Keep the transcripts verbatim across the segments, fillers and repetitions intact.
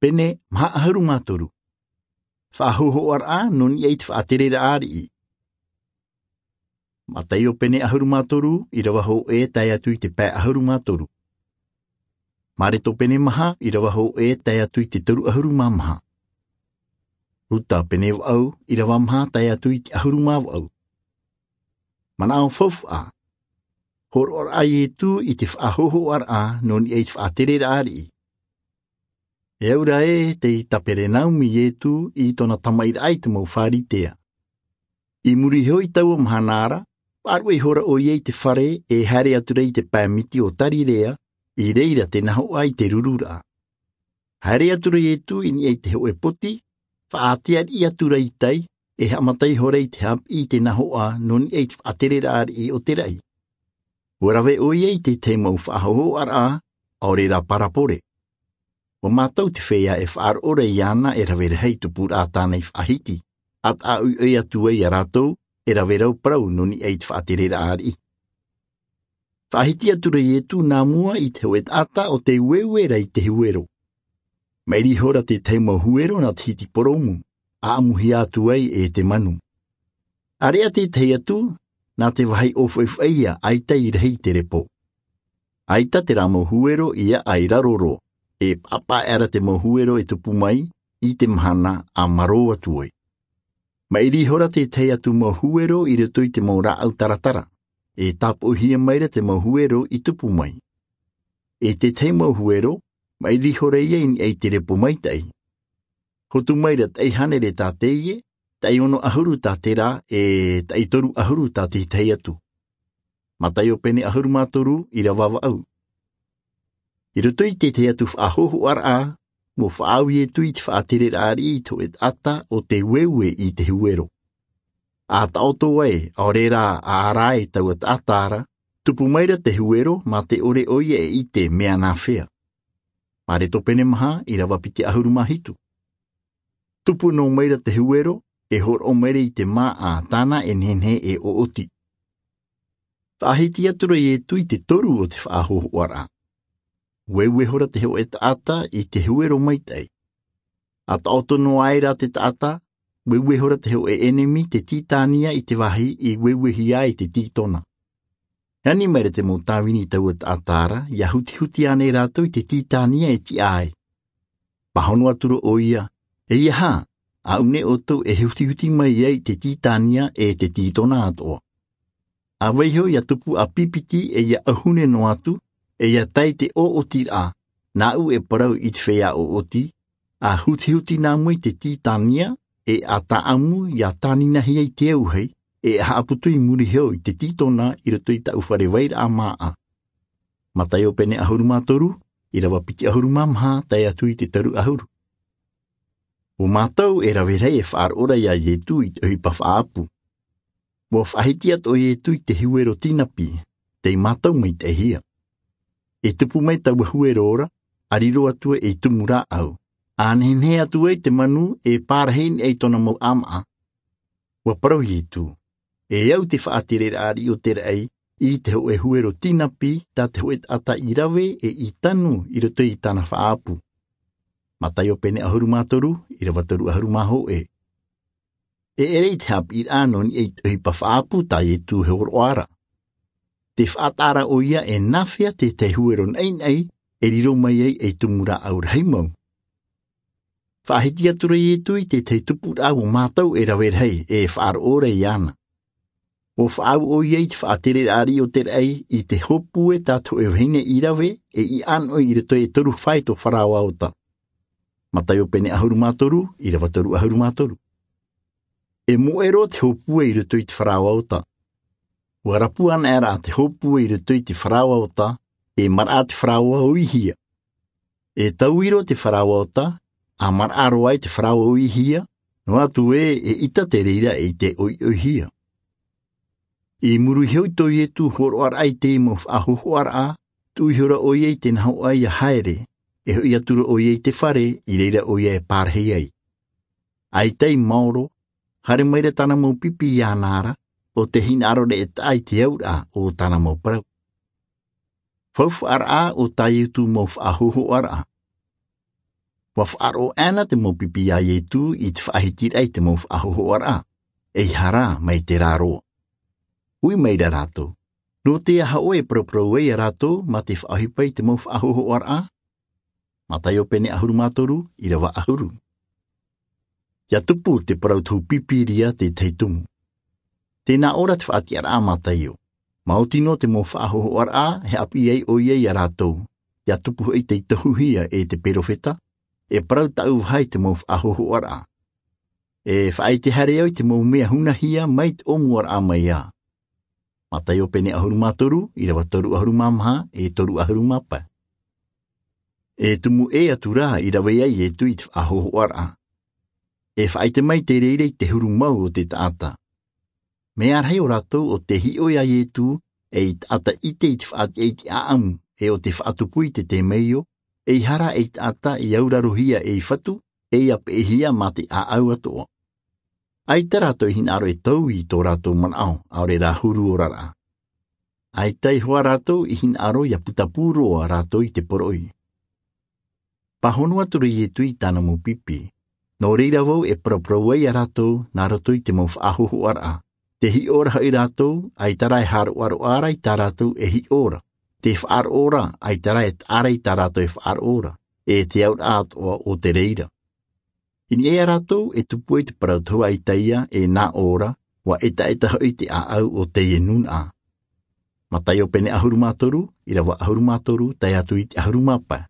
Pene maha ʻahuru mā toru. Faʻahōhoʻaraʻa nō niʻa i te faʻatereraʻa ariʻi. Mataio pene ʻahuru mā toru, ʻirava hōʻē tae atu i te pae ʻahuru mā toru. Mareko pene maha, ʻirava hōʻē tae atu i te toru ʻahuru mā maha. Luka pene vaʻu, ʻirava maha tae atu i te ʻahuru mā vaʻu. Manaʻo faufaʻa. Hōroʻaraʻa a Iesu i te faʻahōhoʻaraʻa nō niʻa i te faʻatereraʻa ariʻi. E aura ē tei Kaperenaumi Iesu i tōna tamaʻiraʻa i te mau Pharisea. I muri iho i taua mahana ra, faʻaruʻe ihora ʻoia i te fare e haere atu ra i te pae miti o Galileia, i reira te nahoʻa i te rururaʻa. Haere atu ra Iesu i niʻa i te hōʻē poti, faʻaʻite ariʻi atu ra i tai, e haʻamata ihora i te haʻapiʻi i te nahoʻa nō niʻa i te faʻatereraʻa ariʻi o te raʻi. ʻUa rave ʻoia i te tahi mau faʻahōhoʻaraʻa, ʻaore rā parabole. ʻUa mātau te feiā e faʻaroʻo ra iāna e rave rahi i te tupuraʻa tāna i faʻahiti, ʻa taʻa ʻoiʻoi atu ai iā rātou, e rave rau parau nō niʻa i te faʻatereraʻa ariʻi. Faʻahiti atu ra Iesu nā mua i te hōʻē taʻata ʻo tei ueue ra i te huero. Maʻiri ihora te tahi mau huero nā te hiti poromu, ʻaʻamuhia atu ai e te manu. ʻAreʻa te tahi atu, nā te vāhi ʻōfaʻifaʻi ïa ʻaita i rahi i te repo. ʻAita terā mau huero i aʻa i raro roa, e paʻapaʻa aʻera te mau huero e tupu mai i te mahana ʻa marō atu ai. Maʻiri ihora te tahi atu mau huero i roto i te mau rāʻau taratara, e tāpoʻihia maira te mau huero i tupu mai. E te tahi mau huero, maʻiri ihora ïa i niʻa i te repo maitaʻi. Hotu maira taʻi hānere tā teie, taʻi ono ʻahuru tā terā, e taʻi toru ʻahuru tā te tahi atu. Mataio pene ʻahuru mā toru, ʻirava vaʻu. I roto i te tahi atu faʻahōhoʻaraʻa, ʻua faʻaau Iesu i te faʻatereraʻa ariʻi i te hōʻē taʻata ʻo tei ueue i te huero. ʻA taʻoto ai, ʻaore rā ʻa ara ai taua taʻata ra, tupu maira te huero mā te ʻore ʻoia e ʻite mea nāfea. Mareko pene maha, ʻirava piti ʻahuru mā hitu. Tupu noa maira te huero, e hōroʻa maira i te māʻa tāna e nehenehe e ʻoʻoti. Faʻahiti atu ra Iesu i te toru o te faʻahōhoʻaraʻa. Ueue ihora te hōʻē taʻata i te huero maitaʻi. ʻA taʻoto noa ai rā te taʻata, ueue ihora te hōʻē ʻenemi te titania i te vāhi i ueuehia ai te titona. E ani maira te mau tāvini i taua taʻata ra, ʻia hutihuti ānei rātou i te titania e tiʻa ai. Pāhono atu ra ʻoia, e ʻeiaha, ʻaʻu nei ʻoutou e hutihuti mai ai te titania e te titona atoʻa. ʻA vaiiho ʻia tupu ʻāpipiti e ʻia ʻauhune noa atu, e ʻia tae i te ʻoʻotiraʻa, nāʻu e parau i te feiā ʻoʻoti, ʻa hutihuti nā mua i te titania, e ʻa tāʻamu ʻia tāninahia i te auahi, e ʻa haʻaputu i muri iho i te titona i roto i tāʻu fare vairaʻa māʻa. Mataio pene ʻahuru mā toru, ʻirava piti ʻahuru mā maha, tae atu i te toru ʻahuru. ʻO mātou e rave rahi e faʻaroʻo ra iā Iesu i te ʻohipa faʻaʻapu. ʻUa faʻahiti atoʻa Iesu i te huero tinapi, tei mātau maitaʻihia. E tupu mai taua huero ra, ʻa riro atu ai ei tumu rāʻau, ʻa nehenehe atu ai te manu e pārahi nei tōna mau ʻāmaʻa. ʻUa parau Iesu, e au te faʻatereraʻa ariʻi o te raʻi, i te hōʻē huero tinapi, tā te hōʻē taʻata i rave e i tanu i roto i tāna faʻaʻapu. Mataio pene ʻahuru mā toru, ʻirava toru ʻahuru mā hōʻē. E ʻere i te haʻapiʻiraʻa nō niʻa i te ʻohipa faʻaʻapu tā Iesu e hōroʻa ra. Tē faʻataʻa ra ʻoia e nāfea te tahi huero naʻinaʻi e riro mai ai ei tumu rāʻau rahi mau. Faʻahiti atu ra Iesu i te tahi tupuraʻa ʻo mātau e rave rahi e faʻaroʻo ra iāna. ʻUa faʻaau ʻoia i te faʻatereraʻa ariʻi o te raʻi i te hōpue tā te hōʻē vahine i rave e i ʻānoʻi i roto i te toru faito faraoa ota. Mataio pene ʻahuru mā toru, ʻirava toru ʻahuru mā toru. E moʻe roa te hōpue i roto i te faraoa ota. ʻUa rapu anaʻe ra te hōpue i roto i te faraoa ota, e maraʻa te faraoa ʻo Ihia. E tauiro te faraoa ota, ʻa maraʻa roa ai te faraoa ʻo Ihia, noa atu ē e ʻita te reira i te ʻoiʻoihia. I muri iho i tō Iesu hōroʻaraʻa i te mau faʻahōhoʻaraʻa, tuʻu ihora ʻoia i te nahoʻa ʻia haere, e hoʻi atu ra ʻoia i te fare i reira ʻoia e pārahi ai. ʻAita i maoro, haere maira tāna mau pipi iāna ra, ʻo tē hinaʻaro ra e taʻa i te auraʻa o tāna mau parau. Faufaʻaraʻa o tā Iesu mau faʻahōhoʻaraʻa. Ua faʻaroʻo ʻana te mau pipi iā Ietu i te faʻahitiraʻa i te mau faʻahōhoʻaraʻa, ʻeiaha rā mai te rā roa. Ui mai ra rātou, nō te aha ʻoe e paraparau ai iā rātou mā te faʻaʻohipa i te mau faʻahōhoʻaraʻa? Mataio pene ʻahuru mā toru, ʻīrava ʻahuru. Ia tupu te parau tohu pīpīria tētahi tumu. Tē nā ʻō ra te faʻatiʻaraʻa a Mataio, maoti nō te mau faʻahōhoʻaraʻa e haʻapiʻi ai ʻoia iā rātou, ia tupu hoʻi tei tohuhia e te perofeta, e parau tāʻu vaha i te mau faʻahōhoʻaraʻa. E faʻaʻite haere au i te mau mea hunahia mai te ʻōmuaraʻa mai ā. Mataio pene ʻahuru mā toru, ʻīrava toru ʻahuru mā maha, e toru ʻahuru mā pae. E tumu ʻē atu rā i rave ai Ietu i te faʻahōhoʻaraʻa. E faʻaʻite mai te reira i te huru mau o te taʻata. Mea rahi ʻo rātou ʻo tē hiʻo iā Ietu ei taʻata ʻite i te faʻatiʻa i te ʻāʻamu, e ʻo tē faʻatupu i te temeio, ʻeiaha rā ei taʻata i aurarohia ei fatu, e ia peʻehia mā te ʻāʻau atoʻa. ʻAita rātou i hinaʻaro e taui i tō rātou manaʻo, ʻaore rā huru oraraʻa. ʻAita iho ā rātou i hinaʻaro ia putapū roa rātou i te poroʻi. Pāhono atu ra Ietu i tāna mau pipi. Nō reira vau e paraparau ai iā rātou nā roto i te mau faʻahōhoʻaraʻa. Tē hiʻo ra hoʻi rātou, ʻaita rā e haʻaroʻaroʻa ra i tā rātou e hiʻo ra. Tē faʻaroʻo ra, ʻaita rā e taʻa ra i tā rātou e faʻaroʻo ra, e te auraʻa atoʻa o te reira. I niʻa iā rātou e tupu ai te parau tohu a Isaia, e nā ʻō ra, ua ʻetaʻeta hoʻi te ʻāʻau o teie nūnaʻa. Mataio pene ʻahuru mā toru, ʻīrava ʻahuru mā toru, tae atu i te ʻahuru mā pae.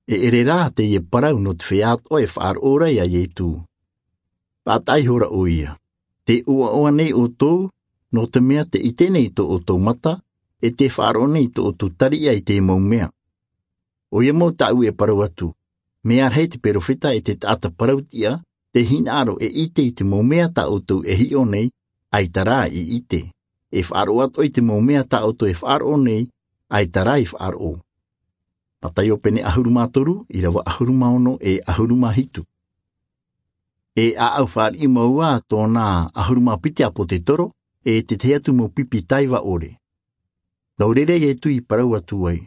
E ʻere rā teie parau nō te feiā atoʻa e faʻaroʻo ra iā Ietu. Faʻataʻa ihora ʻoia, tē ʻoaʻoa nei ʻoutou, nō te mea tē ʻite nei tō ʻoutou mata, e tē faʻaroʻo nei tō ʻoutou tariʻa i te mau mea. ʻOia mau tāʻu e parau atu, mea rahi te perofeta e te taʻata parau-tiʻa, tē hinaʻaro e ʻite i te mau mea tā ʻoutou e hiʻo nei, ʻaita rā i ʻite. E faʻaroʻo atoʻa i te mau mea tā ʻoutou e faʻaroʻo nei, ʻaita rā i faʻaroʻo. Mataio pene ʻahuru mā toru, ʻīrava ʻahuru mā ono e ʻahuru mā hitu. E ʻāʻau fāriʻi mau ā tōna ʻahuru mā piti ʻāpōtetoro, e te tahi atu mau pipi taiva ʻore. Nō reira Ietu i parau atu ai,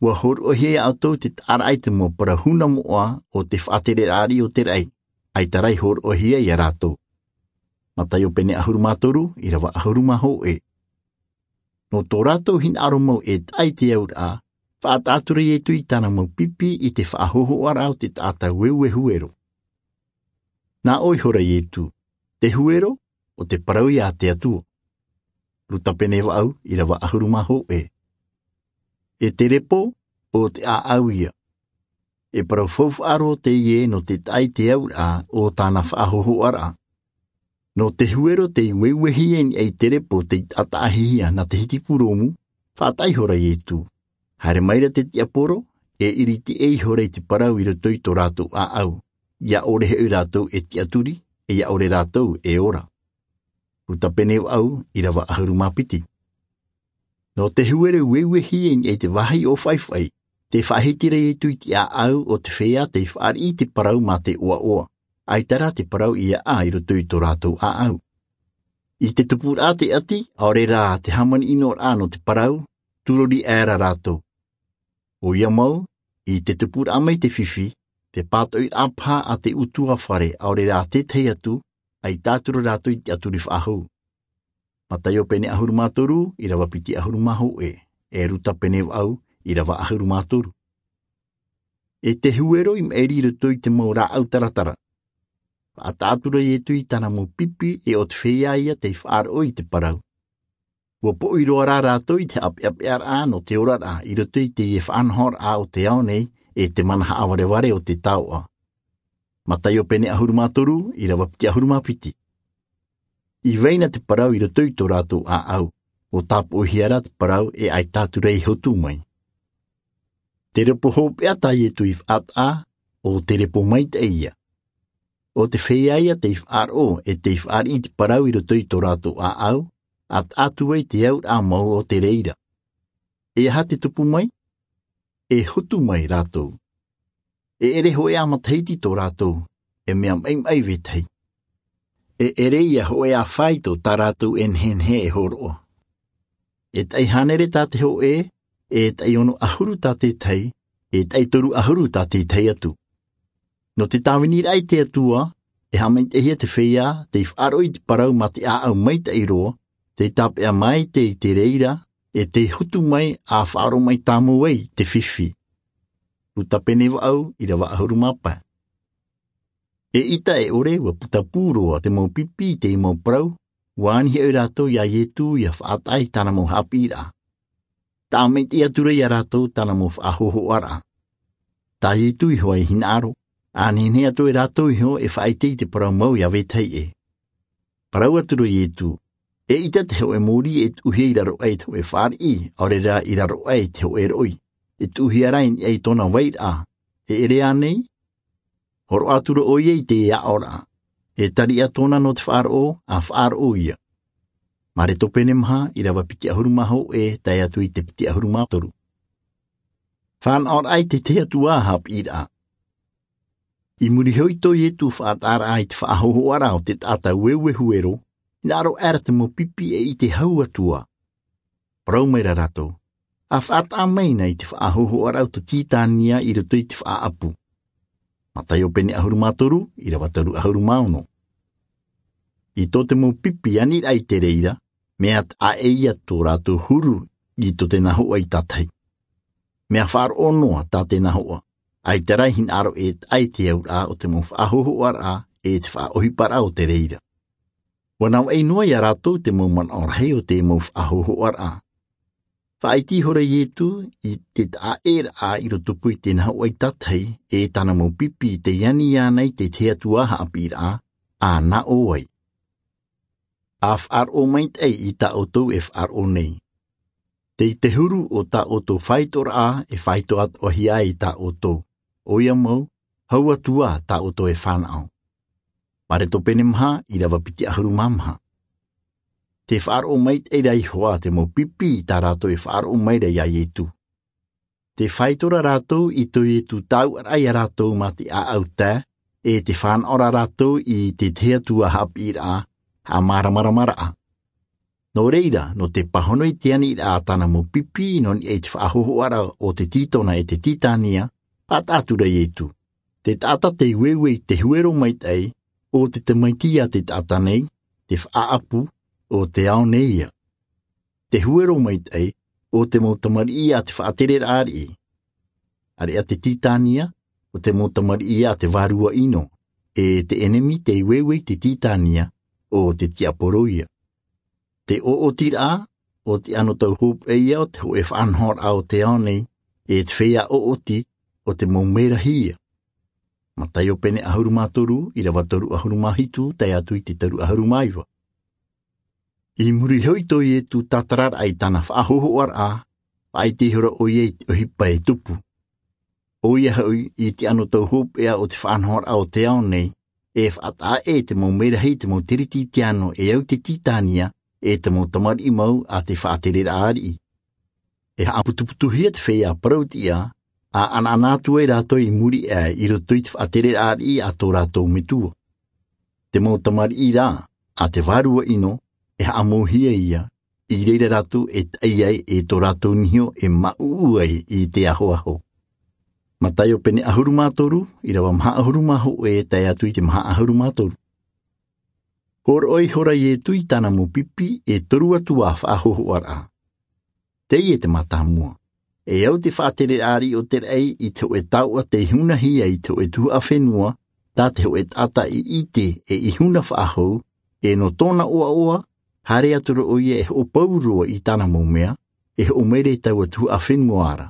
ua hōroʻahia iā ʻoutou te taʻaraʻa i te mau parau huna moʻa o te faʻatereraʻa ariʻi o te raʻi, ʻaita rā i hōroʻahia iā rātou. Mataio pene ʻahuru mā toru, ʻīrava ʻahuru mā hōʻē. Nō tō rātou hinaʻaro mau e taʻa i te auraʻa, faʻataʻa atu ra Ietu i tāna mau pipi i te faʻahōhoʻaraʻa o te taʻata ueue huero. Nā ʻō ihora Ietu, te huero, ʻo te parau ia a te Atua. Luka pene vaʻu, ʻīrava ʻahuru mā hōʻē. E te repo, ʻo te ʻāʻau ia. E parau faufaʻa roa teie nō te taʻa i te auraʻa o tāna faʻahōhoʻaraʻa. Nō te huero tei ueuehia i niʻa i te repo tei taʻataʻahia nā te hiti purōmu, faʻataʻa ihora Ietu. Haere mai ra te tiaporo, e ʻiriti ʻē ihora i te parau i roto i tō rātou ʻāʻau. ʻIa ʻore hoʻi rātou e tiʻaturi, e ʻia ʻore rātou e ora. Luka pene vaʻu, ʻīrava ʻahuru mā piti. Nō te huero ueuehia i niʻa i te vāhi ʻōfaʻifaʻi, tē faʻahiti ra Ietu i te ʻāʻau o te feiā tei fāriʻi i te parau mā te ʻoaʻoa, ʻaita rā te parau i aʻa i roto i tō rātou ʻāʻau. I te tupuraʻa te ʻati, ʻaore rā te hāmani ʻino ra nō te parau, tūrori aʻera rātou. ʻOia mau, i te tupuraʻa mai te fifi, te pātoʻiraʻa paha a te ʻutuāfare ʻaore rā tētahi atu, ʻaita atu ra rātou i te tiʻaturi faʻahou. Mataio pene ʻahuru mā toru, ʻīrava piti ʻahuru mā hōʻē, e Luka pene vaʻu, ʻīrava ʻahuru mā toru. E te huero i maʻiri i roto i te mau rāʻau taratara. Faʻataʻa atu ra Ietu i tāna mau pipi e ʻo te feiā ia tei faʻaroʻo i te parau. Ua poʻi roa rā rātou i te haʻapeʻapeʻaraʻa nō te oraraʻa i roto i teie faʻanahoraʻa o te ao nei e te mana haʻavarevare o te taoʻa. Mataio pene ʻahuru mā toru, ʻīrava piti ʻahuru mā piti. I vai na te parau i roto i tō rātou ʻāʻau, ʻua tāpoʻihia rā te parau e ʻaita atu ra i hotu mai. Te repo hopeʻa tā Ietu i faʻataʻa, ʻo te repo maitaʻi ia. ʻO te feiā ia tei faʻaroʻo e tei fāriʻi i te parau i roto i tō rātou ʻāʻau, ʻa taʻa atu ai te auraʻa mau o te reira. E aha te tupu mai? E hotu mai rātou. E ʻere hōʻē ā matahiti tō rātou, e mea maʻimaʻi vetahi. E ʻere ia hōʻē ā faito tā rātou e nehenehe e hōroʻa. E taʻi hānere tā te hōʻē, e taʻi ono ʻahuru tā tētahi, e taʻi toru ʻahuru tā tētahi atu. Nō te tāviniraʻa i te Atua, e haʻamaitaʻihia te feiā tei faʻaroʻo i te parau mā te ʻāʻau maitaʻi roa, tei tāpeʻa maitaʻi i te reira, e tei hotu mai ʻa faʻaroʻo mai tāmau ai te fifi. Luka pene vaʻu, ʻīrava ʻahuru mā pae. Eʻita e ʻore, ʻua puta pū roa te mau pipi i te mau parau, ʻua ani hoʻi rātou iā Ietu ʻia faʻataʻa i tāna mau haʻapiʻiraʻa. Tāʻamaitaʻi atu ra iā rātou tāna mau faʻahōhoʻaraʻa. Tā Ietu iho ā i hinaʻaro, ʻa nehenehe atoʻa e rātou iho e faʻaʻite i te parau mau iā vetahi ʻē. Parau atu ra Ietu, eʻita te hōʻē mōrī e tuʻuhia i raro aʻe i te hōʻē fāriʻi, ʻaore rā i raro aʻe i te hōʻē roʻi, e tuʻuhia rā i niʻa i tōna vairaʻa, e ʻere ānei? Hōroʻa atu ra ʻoia i te aʻoraʻa, e tariʻa tōna nō te faʻaroʻo, ʻa faʻaroʻo ia. Mareko pene maha, ʻīrava piti ʻahuru mā hōʻē, tae atu i te piti ʻahuru mā toru. Fānaʻoraʻa i te tahi atu ā haʻapiʻiraʻa. I muri iho i tō Ietu faʻataʻaraʻa i te faʻahōhoʻaraʻa o te taʻata ueue huero, hinaʻaro aʻera te mau pipi e ʻite hau atu ā. Parau mai ra rātou, ʻa faʻataʻa mai na i te faʻahōhoʻaraʻa o te tītania i roto i te faʻaʻapu. Mataio pene ʻahuru mā toru, ʻīrava toru ʻahuru mā ono. I tō te mau pipi aniraʻa i te reira, mea taʻa ʻē ia tō rātou huru i tō tēnā hoʻa i tātahi. Mea faʻaroʻo noa tā tēnā hoʻa, ʻaita rā e hinaʻaro e taʻa i te auraʻa o te mau faʻahōhoʻaraʻa e te faʻaʻohiparaʻa o te reira. ʻUa navaʻi noa iā rātou te mau manaʻo rahi o te mau faʻahōhoʻaraʻa. Faʻaʻite ihora Ietu i te taʻa ʻēraʻa i rotopū i tēnā hoʻa i tātahi, e tāna mau pipi tei ani iāna i te tahi atu ā haʻapiʻiraʻa, ʻa nā ʻō ai. ʻA faʻaroʻo maitaʻi i tā ʻoutou e faʻaroʻo nei. Tei te huru o tā ʻoutou faitoraʻa e faito atoʻahia ai i tā ʻoutou, ʻoia mau, hau atu ā tā ʻoutou e fānaʻo. Mareko pene maha, ʻīrava piti ʻahuru mā maha. Tē faʻaroʻo maitaʻi ra iho ā te mau pipi i tā rātou e faʻaroʻo mai ra iā Ietu. Tē faito ra rātou i tō Ietu taʻuʻaraʻa iā rātou mā te ʻāʻau tae, e tē fānaʻo ra rātou i te tahi atu ā haʻapiʻiraʻa, haʻamāramaramaraʻa. Nō reira, nō te pāhono i te aniraʻa a tāna mau pipi nō niʻa i te faʻahōhoʻaraʻa o te tītona e te tītania, faʻataʻa atu ra Ietu. Te taʻata tei ueue i te huero maitaʻi, ʻo te tamaiti a te taʻata nei, te faʻaʻapu, ʻo te ao nei ia. Te huero maitaʻi, ʻo te mau tamariʻi a te faʻatereraʻa ariʻi. ʻĀreʻa te tītania, ʻo te mau tamariʻi a te vārua ʻino, e te ʻenemi tei ueue i te tītania, ʻo te tiaporo ia. Te ʻoʻotiraʻa, ʻo te anotau hopeʻa ia o te hōʻē faʻanahoraʻa o te ao nei, e te feiā ʻoʻoti, ʻo te mau merahi ia. Mataio pene ʻahuru mā toru, ʻīrava toru ʻahuru mā hitu, tae atu i te toru ʻahuru mā iva. I muri iho i tō Ietu tātararaʻa i tāna faʻahōhoʻaraʻa, faʻaʻite ihora ʻoia i te ʻohipa e tupu. ʻOia hoʻi, i te anotau hopeʻa o te faʻanahoraʻa o te ao nei, e faʻataʻa ʻē te mau merahi i te mau kerisetiano e au i te tītania, e te mau tamariʻi mau a te faʻatereraʻa ariʻi. E haʻaputuputuhia te feiā parau-tiʻa, ʻa ʻanaʻana atu ai rātou i muri aʻe i roto i te faʻatereraʻa ariʻi a tō rātou metua. Te mau tamariʻi rā, a te vārua ʻino, e haʻamauhia ia, i reira rātou e taʻi ai e tō rātou niho e māʻuʻu ai i te ahoaho. Mataio pene ʻahuru mā toru, ʻīrava maha ʻahuru mā hōʻē tae atu i te maha ʻahuru mā toru. Hōroʻa ihora Ietu i tāna mau pipi e toru atu ā faʻahōhoʻaraʻa. Teie te mātāmua. E au te faʻatereraʻa ariʻi o te raʻi i te hōʻē taoʻa tei hunahia i te hōʻē tuhaʻa fenua, tā te hōʻē taʻata i ʻite e i huna faʻahou, e nō tōna ʻoaʻoa, haere atu ra ʻoia e hoʻopau roa i tāna mau mea, e hoʻo mai ra i taua tuhaʻa fenua ra.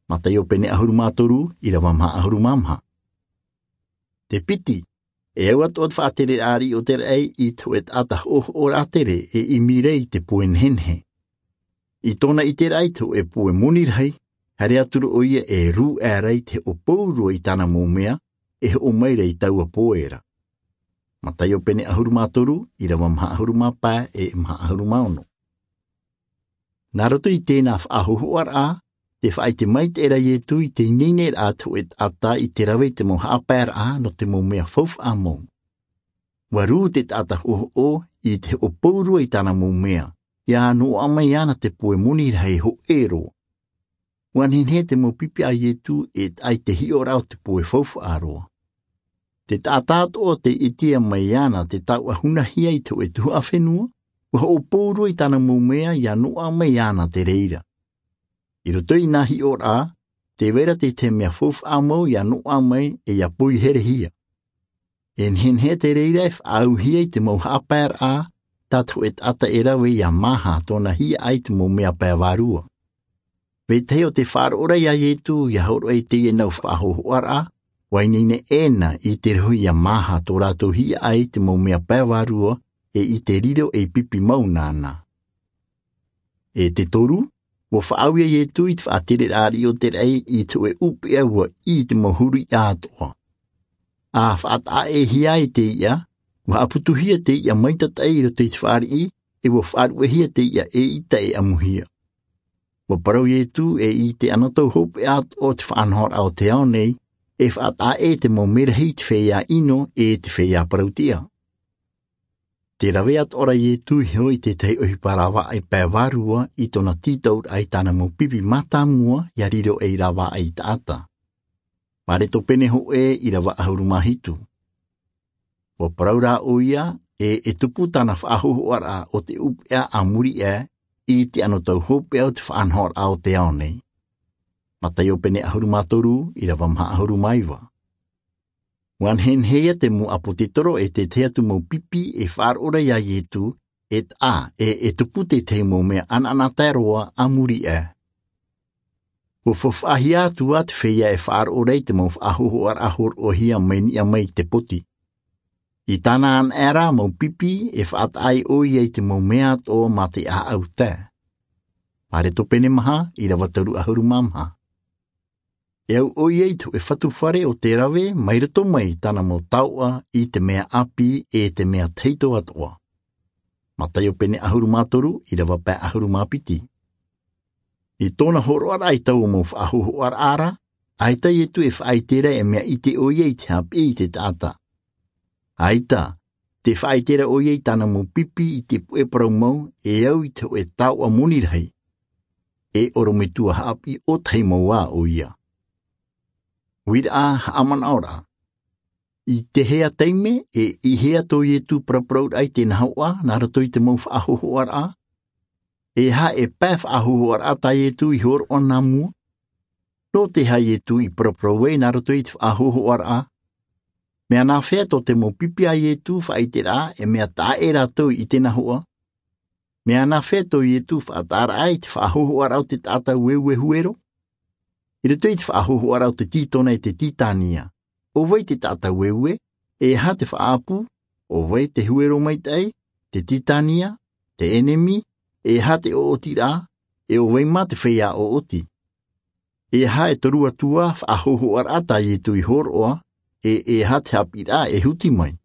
Mataio pene ʻahuru mā toru, ʻīrava maha ʻahuru mā maha. Te piti, e au atoʻa te faʻatereraʻa ariʻi o te raʻi i te hōʻē taʻata hoʻohoʻo rātere e ʻimi ra i te poe nehenehe. I tōna ʻiteraʻa i te hōʻē poe moni rahi, haere atu ra ʻoia e rū aʻera i te hoʻopau roa i tāna mau mea, e hoʻo mai ra i taua poe ra. Mataio pene ʻahuru mā toru, ʻīrava maha ʻahuru mā pae, e maha ʻahuru mā ono. Nā roto i tēnā faʻahōhoʻaraʻa, tē faʻaʻite maitaʻi ra Ietu i te ineineraʻa te hōʻē taʻata i te rave i te mau haʻapaeraʻa nō te mau mea faufaʻa mau. ʻUa rū te taʻata hoʻohoʻo i te hoʻopau roa i tāna mau mea, ʻia noaʻa mai ana te poe moni rahi hōʻē roa. ʻUa nehenehe te mau pipi a Ietu e taʻa i te hiʻoraʻa o te poe faufaʻa roa. Te taʻata atoʻa tei ʻitea mai iāna te tauʻa hunahia i te hōʻē tuhaʻa fenua, ua hoʻo pōrua i tāna mau mea ia noaʻa mai iāna te reira. I roto i nā hiʻoraʻa, tē vai ra te tahi mea faufaʻa mau ia noaʻa mai e ia poiherehia. E nehenehe te reira e faʻaauhia i te mau haʻapaeraʻa tā te hōʻē taʻata e rave ia māha tōna hiaʻai i te mau mea pae vārua. Vetahi o te faʻaroʻo ra iā Ietu ia hōroʻa i teie nau faʻahōhoʻaraʻa, ua ineine ʻēna i te rohi ia māha tō rātou hiaʻai i te mau mea pae vārua, e i te riro ei pipi mau nāna. E te toru, ua faʻaau iā Ietu i te faʻatereraʻa riʻi o te raʻi i te hōʻē ʻūpeʻa ua ʻī i te mau huru iʻa atoʻa. A faʻataʻaʻehia ai te iʻa, ua haʻaputuhia te iʻa maitataʻi i roto i te fāriʻi, e ua faʻaruʻehia te iʻa e ʻita e ʻamuhia. Ua parau Ietu e i te anotau hopeʻa atoʻa o te faʻanahoraʻa o te ao nei, e faʻataʻaʻe te mau merahi i te feiā ʻino e te feiā parau-tiʻa. Te rave atoʻa ra Ietu i hō i te tahi ʻohipa rāvaʻai pae vārua i tōna tītauraʻa i tāna mau pipi mātāmua ia riro ei rāvaʻai taʻata. Mareko pene hōʻē ʻīrava ʻahuru mā hitu. Ua parau rā ʻoia, e, e tupu tāna faʻahōhoʻaraʻa o te ʻūpeʻa a muri aʻe i te anotau hopeʻa o te faʻanahoraʻa o te ao nei. Mataio pene ʻahuru mā toru, ʻīrava maha ʻahuru mā iva. Ua nehenehe ia te mau ʻāpōsetolo e te tahi atu mau pipi e faʻaroʻo ra iā Ietu, e taʻa, e, e tupu te tahi mau mea ʻanaʻanatae roa a muri aʻe. Ua faufaʻahia atu ā te feiā e faʻaroʻo ra i te mau faʻahōhoʻaraʻa hōroʻahia mai niʻa mai i te poti. I tāna anaʻe ra mau pipi e faʻataʻa ai ʻoia i te mau mea atoʻa mā te ʻāʻau tae. Mareko pene maha, ʻīrava toru ʻahuru mā maha. E au ʻoia i te hōʻē fatu fare o te rave mai roto mai i tāna mau taoʻa i te mea ʻāpī e te mea tahito atoʻa. Mataio pene ʻahuru mā toru, ʻīrava pae ʻahuru mā piti. I tōna hōroʻaraʻa i taua mau faʻahōhoʻaraʻa ra, ʻaita Ietu e faʻaʻite ra e mea ʻite ʻoia i te haʻapiʻi i te taʻata. ʻAita, tē faʻaʻite ra ʻoia i tāna mau pipi i te puʻe parau mau e au i te hōʻē taoʻa moni rahi. E ʻorometua haʻapiʻi ʻōtahi mau ā ʻoia. Uiraʻa haʻamanaʻoraʻa. I te hea taime, e, i hea tō Ietu paraparauraʻa i te nahoʻa, nā roto i te mau faʻahōhoʻaraʻa? E aha e pae faʻahōhoʻaraʻa tā Ietu i hōroʻa nā mua? Nō te aha Ietu i paraparau ai nā roto i te faʻahōhoʻaraʻa? Mea nāfea tō te mau pipi a Ietu faʻaʻiteraʻa e mea taʻa ʻē rātou i te nahoʻa? Mea nāfea tō Ietu faʻataʻaraʻa i te faʻahōhoʻaraʻa o te taʻata ueue huero? I roto i te faʻahōhoʻaraʻa o te tītona e te tītania, ʻo vai te taʻata ueue, e aha te faʻaʻapu, ʻo vai te huero maitaʻi, te tītania, te ʻenemi, e aha te ʻoʻotiraʻa, e ʻo vai mā te feiā ʻoʻoti? E aha e toru atu ā faʻahōhoʻaraʻa tā Ietu i hōroʻa, e, e aha te haʻapiʻiraʻa e huti mai?